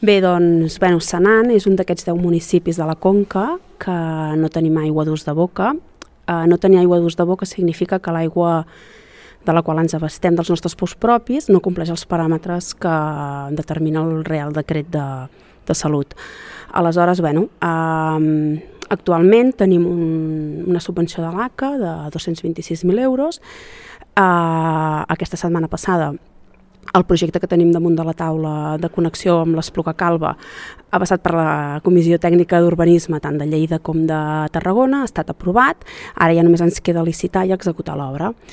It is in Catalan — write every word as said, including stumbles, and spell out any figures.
Bé, doncs, bueno, Senan és un d'aquests deu municipis de la Conca que no tenim aigua d'ús de boca. Uh, no tenir aigua d'ús de boca significa que l'aigua de la qual ens abastem dels nostres pous propis no compleix els paràmetres que determina el Real Decret de, de Salut. Aleshores, bueno, uh, actualment tenim un, una subvenció de l'A C A de dos-cents vint-i-sis mil euros. Uh, aquesta setmana passada el projecte que tenim damunt de la taula de connexió amb l'Espluga Calba ha passat per la Comissió Tècnica d'Urbanisme tant de Lleida com de Tarragona, ha estat aprovat, ara ja només ens queda licitar i executar l'obra.